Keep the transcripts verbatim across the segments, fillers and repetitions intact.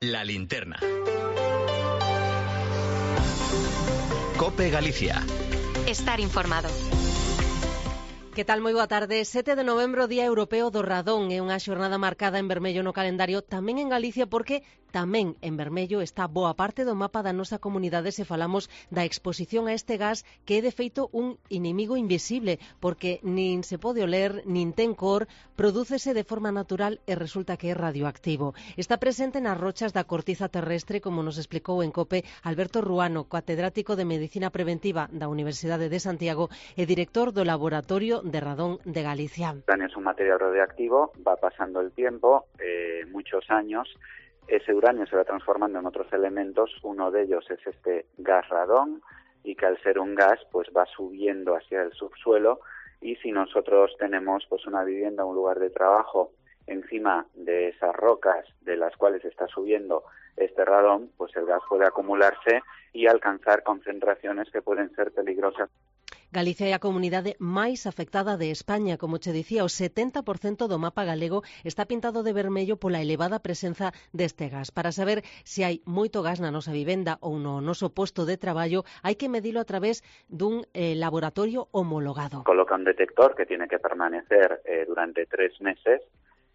La linterna. COPE Galicia. Estar informado. Que tal? Moi boa tarde. sete de novembro, Día Europeo do Radón. É unha xornada marcada en vermello no calendario tamén en Galicia porque tamén en vermello está boa parte do mapa da nosa comunidade se falamos da exposición a este gas que é de feito un inimigo invisible porque nin se pode oler, nin ten cor, prodúcese de forma natural e resulta que é radioactivo. Está presente nas rochas da cortiza terrestre, como nos explicou en COPE Alberto Ruano, catedrático de Medicina Preventiva da Universidade de Santiago e director do Laboratorio de Radón de Galicia. El uranio es un material radioactivo, va pasando el tiempo, eh, muchos años, ese uranio se va transformando en otros elementos, uno de ellos es este gas radón, y que al ser un gas pues va subiendo hacia el subsuelo, y si nosotros tenemos pues una vivienda, un lugar de trabajo encima de esas rocas de las cuales está subiendo este radón, pues el gas puede acumularse y alcanzar concentraciones que pueden ser peligrosas. Galicia é a comunidade máis afectada de España, como che dicía, o setenta por cento do mapa galego está pintado de vermello pola elevada presenza deste gas. Para saber se hai moito gas na nosa vivenda ou no noso posto de traballo, hai que medilo a través dun eh, laboratorio homologado. Coloca un detector que tiene que permanecer eh, durante tres meses.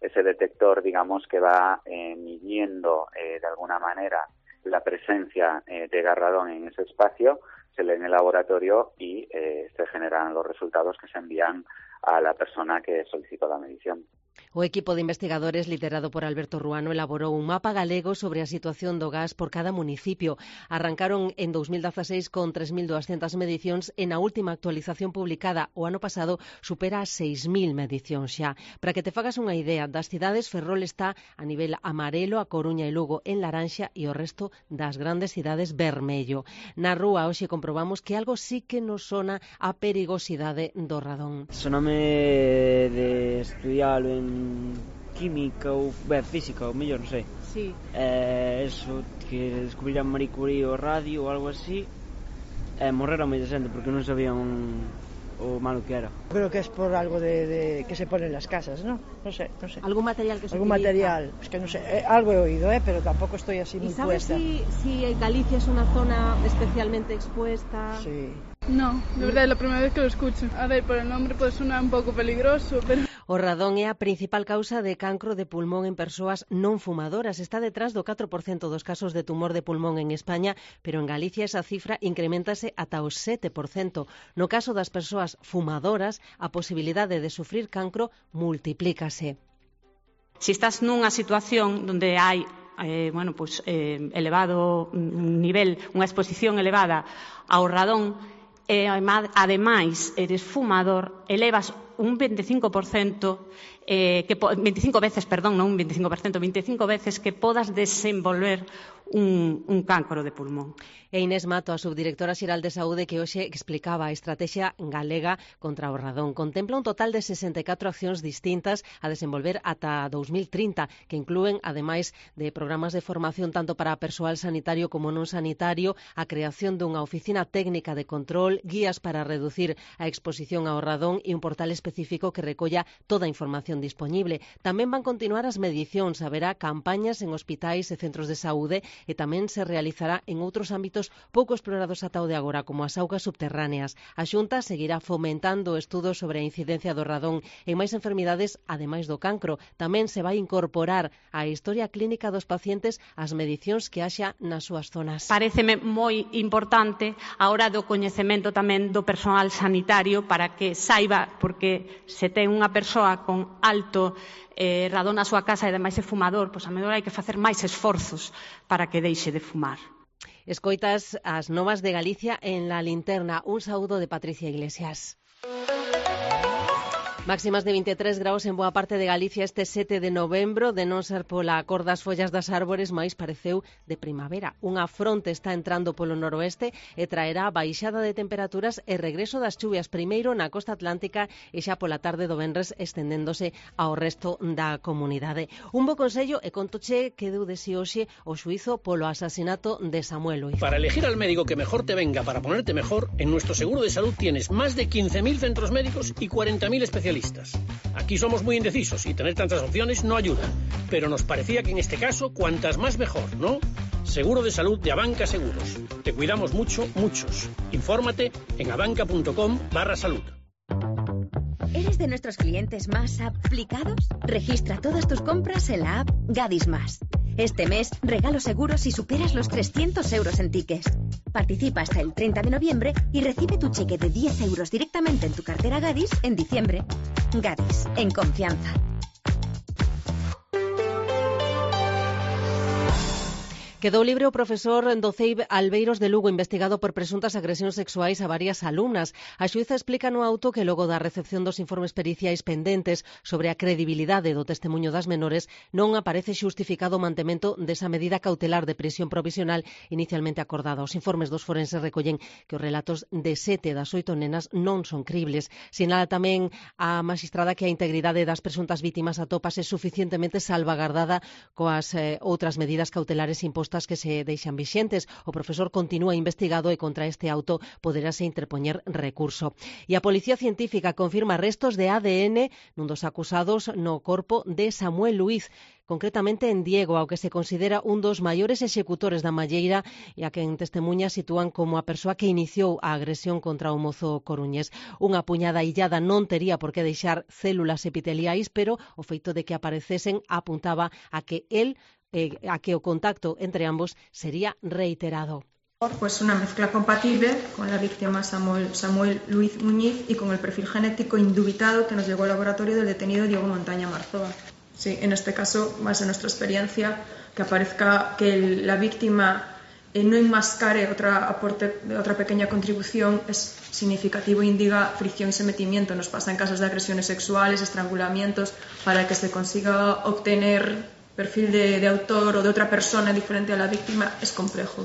Ese detector, digamos, que va eh, midiendo eh, de alguna manera la presencia eh, de gas radón en ese espacio, se lee en el laboratorio y eh, se generan los resultados que se envían a la persona que solicitó la medición. O equipo de investigadores liderado por Alberto Ruano elaborou un mapa galego sobre a situación do gas por cada municipio. Arrancaron en dos mil dieciséis con tres mil doscientas medicións e na última actualización publicada o ano pasado supera as seis mil medicións xa. Para que te fagas unha idea, das cidades Ferrol está a nivel amarelo, a Coruña e Lugo en laranxa e o resto das grandes cidades vermello. Na rúa hoxe comprobamos que algo sí que nos sona a perigosidade do radón. Soname de estudialo en química ou ben, física, ou mellor, non sei. Sí. Eh, eso, que descubriran Marie Curie o radio ou algo así, eh, morreron moita xente porque non sabían o malo que era. Creo que es por algo de, de que se pone en las casas, ¿no? No sé, no sé. ¿Algún material que se Algún utiliza? material, es que no sé, eh, algo he oído, ¿eh? Pero tampoco estoy así muy ¿Y sabes puesta. si, si Galicia es una zona especialmente expuesta? Sí. No, de verdad es la primera vez que lo escucho. A ver, por el nombre puede sonar un pouco peligroso, pero... O radón é a principal causa de cancro de pulmón en persoas non fumadoras. Está detrás do catro por cento dos casos de tumor de pulmón en España, pero en Galicia esa cifra incrementase ata o sete por cento. No caso das persoas fumadoras, a posibilidade de sufrir cancro multiplícase. Se estás nunha situación onde hai eh, bueno, pues, eh, elevado nivel, unha exposición elevada ao radón, e ademais eres fumador, elevas un veinticinco por cento eh, que veinticinco veces, perdón, non un veinticinco por cento, veinticinco veces que podas desenvolver un, un cancro de pulmón. E Inés Mato, a subdirectora xeral de Saúde, que hoxe explicaba a estrategia galega contra o radón. Contempla un total de sesenta e catro accións distintas a desenvolver ata dos mil trinta, que inclúen, ademais de programas de formación tanto para persoal sanitario como non sanitario, a creación dunha oficina técnica de control, guías para reducir a exposición ao radón e un portal específico que recolla toda a información disponible. Tamén van continuar as medicións, haberá campañas en hospitais e centros de saúde e tamén se realizará en outros ámbitos pouco explorados ata o de agora, como as augas subterráneas. A Xunta seguirá fomentando estudos sobre a incidencia do radón en máis enfermidades, ademais do cancro. Tamén se vai incorporar á historia clínica dos pacientes as medicións que haxa nas súas zonas. Paréceme moi importante a hora do coñecemento tamén do persoal sanitario para que saiba, porque se ten unha persoa con alto eh, radón na súa casa e ademais é fumador, pois a mellor hai que facer máis esforzos para que deixe de fumar. Escoitas as novas de Galicia en La Linterna. Un saúdo de Patricia Iglesias. Máximas de vinte e tres graus en boa parte de Galicia este sete de novembro, de non ser pola cor das follas das árbores, máis pareceu de primavera. Unha fronte está entrando polo noroeste e traerá baixada de temperaturas e regreso das chuvias primeiro na costa atlántica e xa pola tarde do venres estendéndose ao resto da comunidade. Un bo consello e contoche que deu de si hoxe o xuízo polo asasinato de Samuel Luiz. Para elegir al médico que mejor te venga para ponerte mejor, en nuestro seguro de salud tienes más de quince mil centros médicos y cuarenta mil especialistas. especialistas. Aquí somos muy indecisos y tener tantas opciones no ayuda, pero nos parecía que en este caso cuantas más mejor, ¿no? Seguro de salud de Abanca Seguros. Te cuidamos mucho, muchos. Infórmate en abanca.com barra salud. ¿Eres de nuestros clientes más aplicados? Registra todas tus compras en la app Gadis Más. Este mes regalo seguro si superas los trescientos euros en tickets. Participa hasta el treinta de noviembre y recibe tu cheque de diez euros directamente en tu cartera Gadis en diciembre. Gadis, en confianza. Quedou libre o profesor do C E I B Albeiros de Lugo, investigado por presuntas agresións sexuais a varias alumnas. A xuíza explica no auto que logo da recepción dos informes periciais pendentes sobre a credibilidade do testemunho das menores, non aparece xustificado o mantemento desa medida cautelar de prisión provisional inicialmente acordada. Os informes dos forenses recollen que os relatos de sete das oito nenas non son cribles. Sinala tamén a magistrada que a integridade das presuntas vítimas atópase suficientemente salvagardada coas eh, outras medidas cautelares impostas que se deixan vixentes. O profesor continúa investigado e contra este auto poderase interpoñer recurso. E a Policía Científica confirma restos de A D N nun dos acusados no corpo de Samuel Luiz, concretamente en Diego, ao que se considera un dos maiores executores da malleira e a quen testemunha sitúan como a persoa que iniciou a agresión contra o mozo coruñés. Unha puñada illada non tería por que deixar células epiteliais, pero o feito de que aparecesen apuntaba a que el Eh, a que o contacto entre ambos sería reiterado. Pues una mezcla compatible con la víctima Samuel, Samuel Luiz Muñiz y con el perfil genético indubitado que nos llegó al laboratorio del detenido Diego Montaña Marzoa. Sí, en este caso, más en nuestra experiencia, que aparezca que el, la víctima eh, no enmascare otra aporte, otra pequeña contribución es significativo e indica fricción y sometimiento. Nos pasa en casos de agresiones sexuales, estrangulamientos, para que se consiga obtener perfil de, de autor ou de outra persona diferente a la víctima es complejo.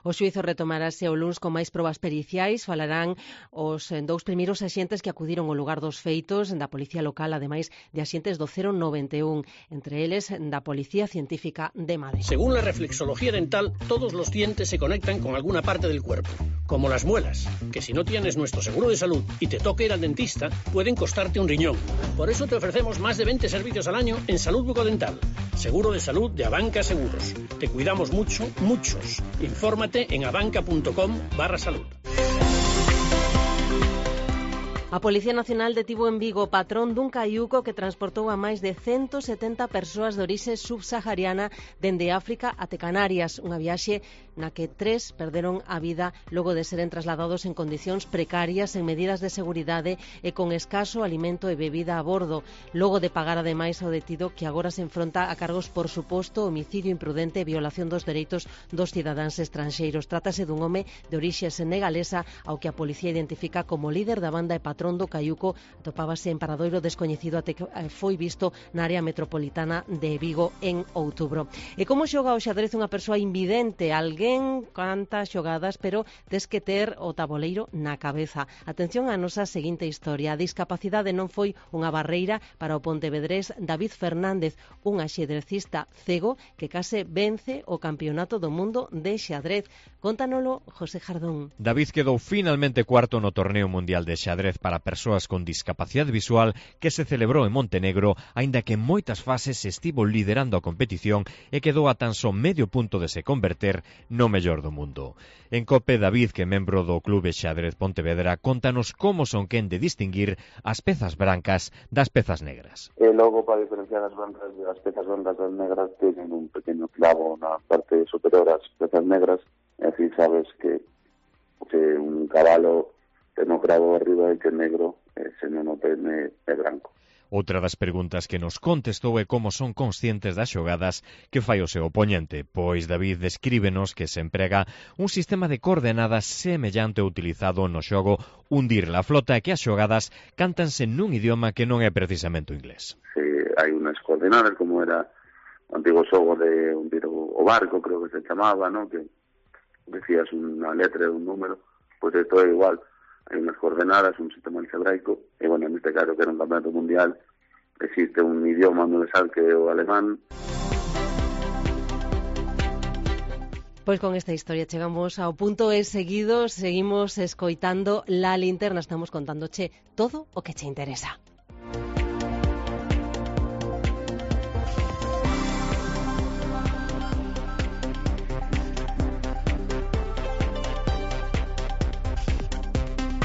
O xuízo retomarase o luns con máis probas periciais. Falarán os dous primeiros axentes que acudiron ao lugar dos feitos da Policía Local, ademais de axentes do cero noventa e un, entre eles da Policía Científica de Madrid. Según la reflexología dental, todos los dientes se conectan con alguna parte del cuerpo, como las muelas, que si no tienes nuestro seguro de salud y te toca ir al dentista, pueden costarte un riñón. Por eso te ofrecemos más de veinte servicios al año en salud bucodental. Seguro de salud de Abanca Seguros. Te cuidamos mucho, muchos. Infórmate en abanca.com barra salud. A Policía Nacional detivo en Vigo o patrón dun caiuco que transportou a máis de ciento setenta persoas de orixe subsahariana dende África até Canarias, unha viaxe na que tres perderon a vida logo de seren trasladados en condicións precarias, en medidas de seguridade e con escaso alimento e bebida a bordo, logo de pagar ademais ao detido que agora se enfronta a cargos por suposto homicidio imprudente e violación dos dereitos dos cidadáns estranxeiros. Trátase dun home de orixe senegalesa ao que a policía identifica como líder da banda e patrón do caiuco. Atopábase en paradoiro descoñecido até que foi visto na área metropolitana de Vigo en outubro. E como xoga o xadrez unha persoa invidente? Alguén canta xogadas, pero tes que ter o taboleiro na cabeza. Atención á nosa seguinte historia. A discapacidade non foi unha barreira para o pontevedrés David Fernández, un axedrecista cego que case vence o Campeonato do Mundo de Xadrez. Contanolo José Jardón. David quedou finalmente cuarto no Torneo Mundial de Xadrez para persoas con discapacidade visual que se celebrou en Montenegro, aínda que en moitas fases estivo liderando a competición e quedou a tan só medio punto de se converter no mellor do mundo. En COPE, David, que é membro do Clube Xadrez Pontevedra, contanos como son quen de distinguir as pezas brancas das pezas negras. E logo, para diferenciar as brancas das pezas brancas das negras, teñen un pequeno clavo na parte superior das pezas negras, e así sabes que, que un cabalo ten o cravo arriba e que é negro, e se non o ten é branco. Outra das preguntas que nos contestou é como son conscientes das xogadas que fai o seu oponente, pois David descríbenos que se emprega un sistema de coordenadas semellante ao utilizado no xogo Hundir la Flota e que as xogadas cántanse nun idioma que non é precisamente o inglés. Sí, hai unhas coordenadas como era o antigo xogo de hundir o barco, creo que se chamaba, ¿no? Que decías unha letra e un número, pois isto é igual. Hai unhas coordenadas, un sistema algebraico, e, bueno, en este caso, que era un campeonato mundial, existe un idioma universal que é o alemán. Pois con esta historia chegamos ao punto e seguidos seguimos escoitando La Linterna, estamos contándoche todo o que che interesa.